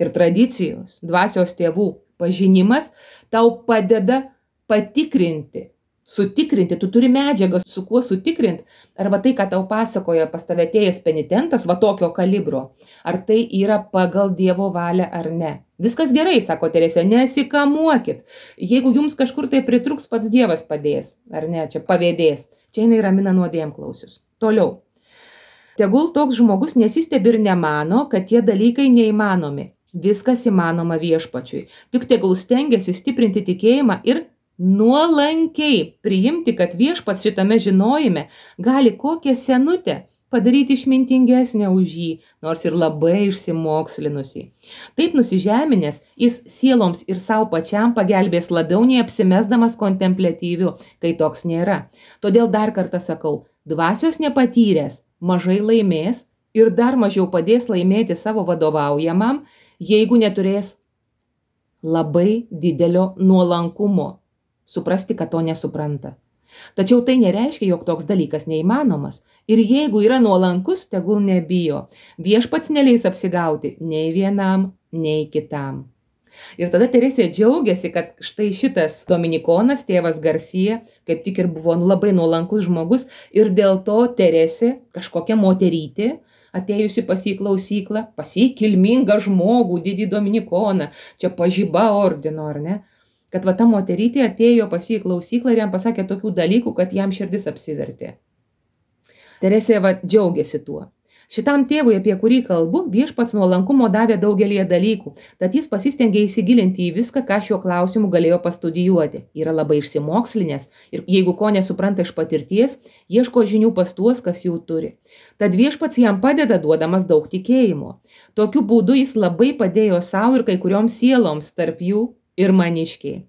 ir tradicijos, dvasios tėvų pažinimas tau padeda patikrinti, sutikrinti, tu turi medžiagą, su kuo sutikrinti, arba tai, ką tau pasakoja pas tave atėjęs penitentas, tokio kalibro, ar tai yra pagal Dievo valią ar ne. Viskas gerai, sako Teresė, nesikamuokit. Jeigu jums kažkur tai pritruks, pats Dievas padės, ar ne, čia pavėdės. Čia jinai ramina nuodėmklausius. Toliau. Tegul toks žmogus nesistebi ir nemano, kad tie dalykai neįmanomi. Viskas įmanoma viešpačiui. Tik tegul stengiasi stiprinti tikėjimą ir nuolankiai priimti, kad viešpats šitame žinojime gali kokią senutę padaryti išmintingesnę už jį, nors ir labai išsimokslinusi. Taip nusižeminęs, jis sieloms ir savo pačiam pagelbės labiau nei apsimesdamas kontempliatyviu, kai toks nėra. Todėl dar kartą sakau, dvasios nepatyręs mažai laimės ir dar mažiau padės laimėti savo vadovaujamam, jeigu neturės labai didelio nuolankumo. Suprasti, kad to nesupranta. Tačiau tai nereiškia, jog toks dalykas neįmanomas. Ir jeigu yra nuolankus, tegul nebijo. Viešpats neleis apsigauti nei vienam, nei kitam. Ir tada Teresė džiaugiasi, kad štai šitas dominikonas, tėvas Garsija, kaip tik ir buvo labai nuolankus žmogus, ir dėl to Teresė, kažkokia moterytė, atėjusi pas jį klausyklą, pas jį kilmingą žmogų, didį dominikoną, čia pažyba ordino, ar ne? Kad va ta moterytė atėjo pas jį klausyklą ir jam pasakė tokių dalykų, kad jam širdis apsivertė. Teresė va džiaugiasi tuo. Šitam tėvui, apie kurį kalbu, viešpats nuolankumo davė daugelį dalykų, tad jis pasistengė įsigilinti į viską, ką šiuo klausimu galėjo pastudijuoti. Yra labai išsimokslinęs ir jeigu ko nesupranta iš patirties, ieško žinių pas tuos, kas jų turi. Tad viešpats jam padeda duodamas daug tikėjimo. Tokiu būdu jis labai padėjo savo ir kai kurioms sieloms, tarp jų ir maniškiai.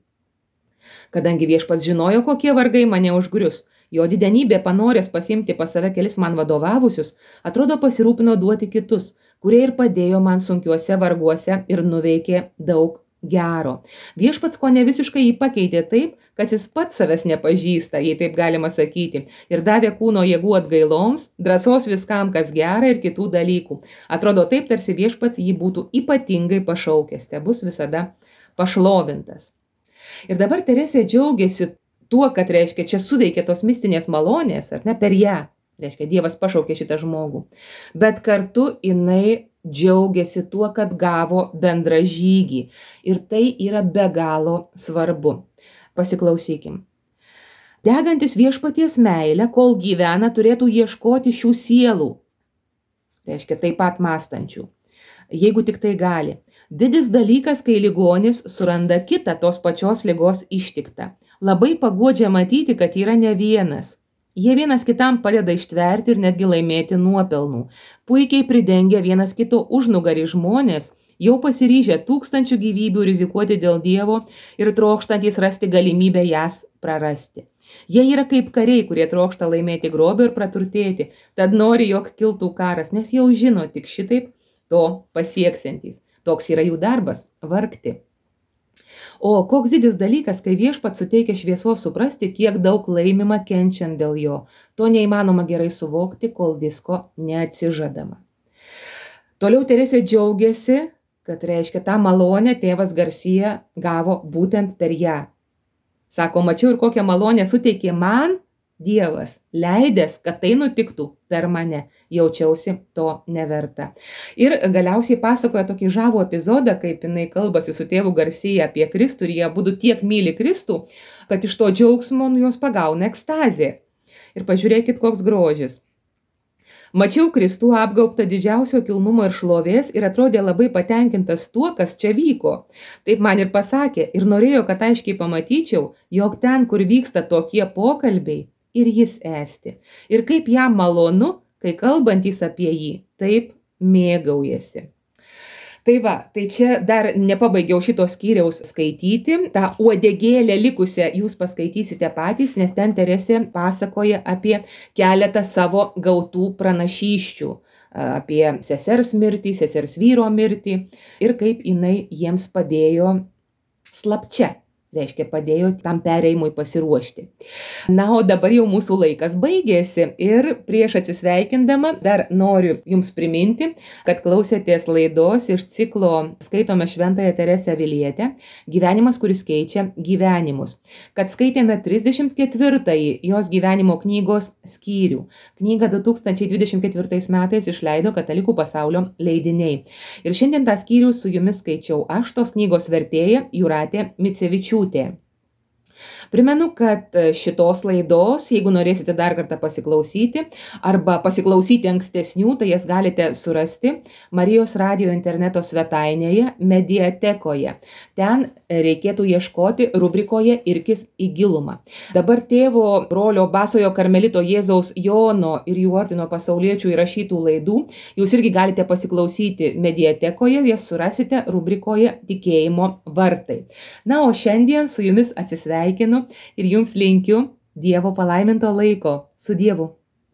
Kadangi viešpats žinojo, kokie vargai mane užgrius, jo didenybė panorės pasiimti pas save kelis man vadovavusius, atrodo pasirūpino duoti kitus, kurie ir padėjo man sunkiuose varguose ir nuveikė daug gero. Viešpats ko ne visiškai jį pakeitė taip, kad jis pats savęs nepažįsta, jei taip galima sakyti, ir davė kūno jėgų atgailoms, drąsos viskam, kas gera ir kitų dalykų. Atrodo taip, tarsi viešpats jį būtų ypatingai pašaukęs, te bus visada pašlovintas. Ir dabar Teresė džiaugiasi tuo, kad reiškia, čia suveikė tos mistinės malonės, ar ne, per ją, reiškia, Dievas pašaukė šitą žmogų. Bet kartu jinai džiaugiasi tuo, kad gavo bendrą žygį. Ir tai yra be galo svarbu. Pasiklausykim. Degantis viešpaties meilę, kol gyvena, turėtų ieškoti šių sielų. Reiškia, taip pat mąstančių. Jeigu tik tai gali. Didis dalykas, kai ligonis suranda kitą tos pačios ligos ištiktą. Labai paguodžia matyti, kad yra ne vienas. Jie vienas kitam padeda ištverti ir netgi laimėti nuopelnų. Puikiai pridengia vienas kito užnugarį žmonės, jau pasiryžę tūkstančių gyvybių rizikuoti dėl Dievo ir trokštantys rasti galimybę jas prarasti. Jie yra kaip kariai, kurie trokšta laimėti grobį ir praturtėti, tad nori, jog kiltų karas, nes jau žino tik šitaip to pasieksiantys. Toks yra jų darbas – vargti. O koks didis dalykas, kai viešpats suteikia šviesos suprasti, kiek daug laimima kenčiant dėl jo. To neįmanoma gerai suvokti, kol visko neatsižadama. Toliau Teresė džiaugiasi, kad reiškia tą malonę tėvas Garsija gavo būtent per ją. Sako, mačiau ir kokią malonę suteikė man Dievas, leidęs, kad tai nutiktų per mane, jaučiausi to neverta. Ir galiausiai pasakoja tokį žavų epizodą, kaip jinai kalbasi su tėvu Garsija apie Kristų ir jie abudu tiek myli Kristų, kad iš to džiaugsmo juos pagauna ekstazė. Ir pažiūrėkit, koks grožis. Mačiau Kristų apgaubtą didžiausio kilnumo ir šlovės ir atrodė labai patenkintas tuo, kas čia vyko. Taip man ir pasakė ir norėjo, kad aiškiai pamatyčiau, jog ten, kur vyksta tokie pokalbiai, ir jis esti. Ir kaip jam malonu, kai kalbantys apie jį, taip mėgaujasi. Tai va, tai čia dar nepabaigiau šito skyriaus skaityti. Ta uodegėlė likusią jūs paskaitysite patys, nes ten Teresė pasakoja apie keletą savo gautų pranašysčių. Apie sesers mirtį, sesers vyro mirtį ir kaip jinai jiems padėjo slapčia. Reiškia, padėjo tam perėjimui pasiruošti. Na, o dabar jau mūsų laikas baigėsi ir prieš atsisveikindama dar noriu jums priminti, kad klausėtės laidos iš ciklo Skaitome Šventąją Teresę Avilietę, Gyvenimas, kuris keičia gyvenimus. Kad skaitėme 34-ąjį jos gyvenimo knygos skyrių. Knygą 2024 metais išleido Katalikų pasaulio leidiniai. Ir šiandien tą skyrių su jumis skaičiau aš, tos knygos vertėja Jūratė Micevičiūtė. Primenu, kad šitos laidos, jeigu norėsite dar kartą pasiklausyti arba pasiklausyti ankstesnių, tai jas galite surasti Marijos radijo interneto svetainėje Mediatekoje. Ten reikėtų ieškoti rubrikoje Irkis į gilumą. Dabar tėvo brolio Basojo Karmelito Jėzaus Jono ir jų ordino pasauliečių įrašytų laidų jūs irgi galite pasiklausyti Mediatekoje, jas surasite rubrikoje Tikėjimo vartai. Na, o šiandien su jumis atsisveikinu ir jums linkiu Dievo palaiminto laiko. Su Dievu.